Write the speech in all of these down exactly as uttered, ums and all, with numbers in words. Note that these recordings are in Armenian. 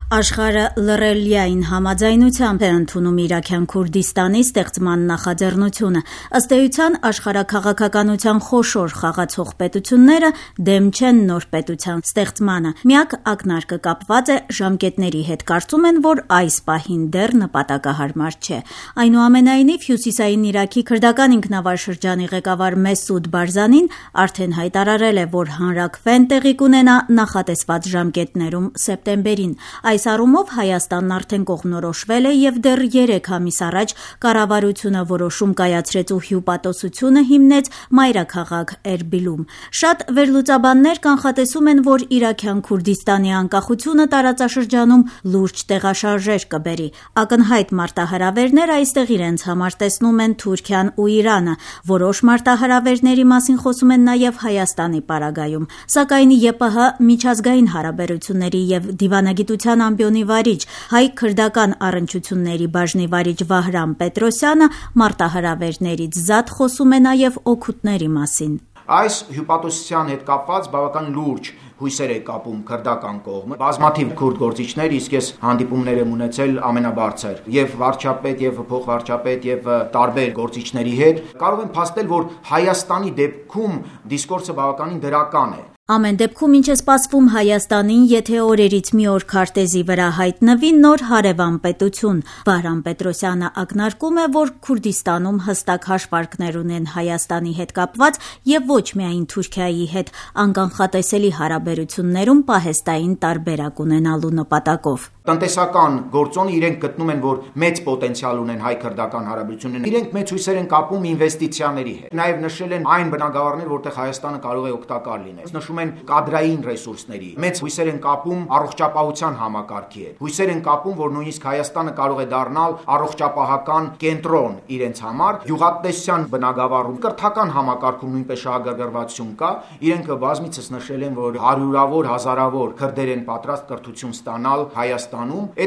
Աշխարհը լռելիային համաձայնությամբ է ընդունում Իրաքյան Քուրդիստանի ստեղծման նախաձեռնությունը։ Ըստ էության, աշխարհաքաղաքականության խոշոր խաղացող պետությունները դեմ չեն նոր պետության ստեղծմանը։ Միակ ակնարկը կապված է ժամկետների հետ, կարծում են, որ այս պահին դեռ նպատակահարմար չէ։ Այնուամենայնիվ, Հյուսիսային Իրաքի քրդական ինքնավար շրջանի ղեկավար Մեսուդ Բարզանին արդեն հայտարարել է, որ հանրաքվեն տեղի կունենա նախատեսված ժամկետներում սեպտեմբերին։ Այս առումով Հայաստանն արդեն կողմնորոշվել է և դեռ երեք ամիս առաջ կառավարությունը որոշում կայացրեց ու հյուպատոսությունը հիմնեց մայրաքաղաք Էրբիլում։ Շատ վերլուծաբաններ կանխատեսում են, որ Իրաքյան Քուրդիստանի անկախությունը տարածաշրջանում լուրջ տեղաշարժեր կբերի։ Ակնհայտ մարտահրավերներ այստեղ իրենց համար տեսնում են Թուրքիան ու Իրանը։ Որոշ մարտահրավերների մասին խոսում են նաև Հայաստանի պարագայում։ Սակայն ԵՊՀ միջազգային հարաբերությունների և դիվանագիտության ամբիոնի վարիչ, հայ-քրդական առնչությունների բաժնի վարիչ Վահրամ Պետրոսյանը մարտահրավերներից զատ խոսում է նաև օգուտների մասին։ Այս հյուպատոսության հետ կապված բավական լուրջ հույսեր է կապում քրդական կողմը։ Բազմաթիվ քուրդ գործիչներ, իսկ ես հանդիպումներ եմ ունեցել ամենաբարձր եւ վարչապետ եւ փոխվարչապետ եւ տարբեր գործիչների հետ, կարող են փաստել, որ Հայաստանի դեպքում դիսկուրսը բավականին դրական է։ Ամեն դեպքում, ինչ է սպասվում Հայաստանին, եթե օրերից մի օր քարտեզի վրա հայտնվի նոր հարևան պետություն։ Վահրամ Պետրոսյանը ակնարկում է, որ Քուրդիստանում հստակ հաշվարկներ ունեն Հայաստանի հետ կապված եւ ոչ միայն Թուրքիայի հետ անկանխատեսելի հարաբերություններում պահեստային տարբերակ ունենալու նպատակով։ Տնտեսական գործոնը իրենք գտնում են, որ մեծ պոտենցիալ ունեն հայ-քրդական հարաբերությունները։ Իրենք մեծ հույսեր են կապում ինվեստիցիաների հետ։ Նաև նշել են այն բնագավառներ, որտեղ Հայաստանը կարող է օգտակար լինել։ Նշում են կադրային ռեսուրսների։ Մեծ հույսեր են կապում առողջապահության համակարգի հետ։ Հույսեր են կապում, որ նույնիսկ Հայաստանը կարող է դառնալ առողջապահական կենտրոն իրենց համար։ Գյուղատնտեսության բնագավառում կրթական համակարգում նույնպես շահագրգռվածություն կա։ Իրենք բազմիցս նշել են, որ հարյուրավոր, հազարավոր քրդեր են պատրաստ կրթություն ստանալ Հայաստանում։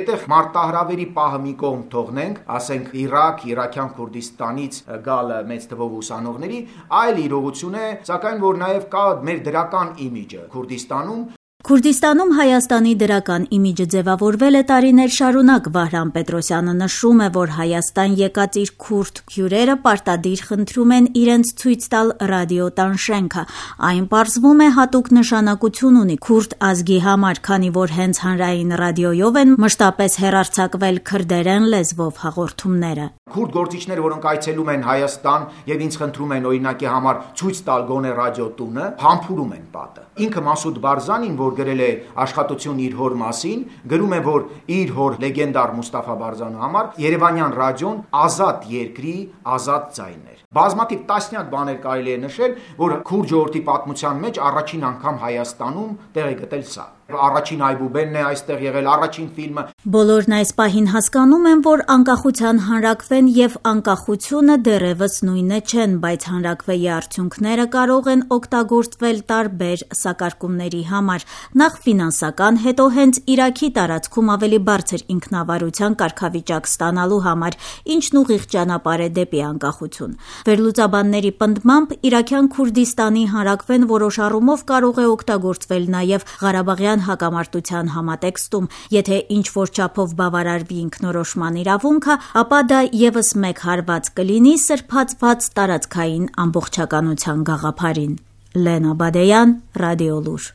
Այդտեղ մարտահրավերի պահը մի կողմ թողնենք, ասենք Իրաք, Իրաքյան Քուրդիստանից գալ մեծ թվով ուսանողների, այլ իրողություն է, սակայն որ նաև կա մեր դրական իմիջը Քուրդիստանում։ Քուրդիստանում Հայաստանի դրական իմիջը ձևավորվել է տարիներ շարունակ։ Վահրամ Պետրոսյանը նշում է, որ Հայաստան եկած իր քուրդ հյուրերը պարտադիր խնդրում են իրենց ցույց տալ ռադիոտան շենքը։ Այն պարզվում է հատուկ նշանակություն ունի քուրդ ազգի համար, քանի որ հենց հանրային ռադիոյով են մշտապես հեռարձակվել քրդերեն լեզվով հաղորդումները։ Քուրդ գործիչները, որոնք այցելում են Հայաստան եւ ինձ խնդրում են օրինակի համար ցույց տալ գոնե ռադիոտունը, համբուրում են պատը։ Ինքը Մեսուդ Բարզանին, որ գրել է աշխատություն իր հոր մասին, գրում է, որ իր հոր լեգենդար Մուստաֆա Բարզանու համար Երևանյան ռադիոն ազատ երկրի ազատ ձայն էր։ Բազմաթիվ տասնյակ բաներ կարելի է նշել, որ քուրդ ժողովրդի պատմության մեջ առաջին անգամ Հայաստանում տեղ է գտել սա։ Առաջին այբուբենն է այստեղ եղել, առաջին ֆիլմը։ Բոլորն այս պահին հասկանում են, որ անկախության հանրաքվեն եւ անկախությունը դեռևս նույնը չեն, բայց հանրաքվեի արդյունքները կարող են օգտագործվել տարբեր սակարկումների համար։ Նախ ֆինանսական, հետո հենց Իրաքի տարածքում ավելի բարձր ինքնավարության կարգավիճակ ստանալու համար, ինչն ուղիղ ճանապարհ է դեպի անկախություն։ Վերլուծաբանների պնդմամբ Իրաքյան Քուրդիստանի հանրաքվեն որոշ առումով կարող է օգտագործվել նաև Ղարաբաղյան հակամարտության համատեքստում։ Եթե ինչ-որ չափով բավարարվի ինքնորոշման իրավունքը, ապա դա ևս մեկ հարված կլինի սրբացված տարածքային ամբողջականության գաղափարին։ Լենա Բադեյան, Ռադիոլուր։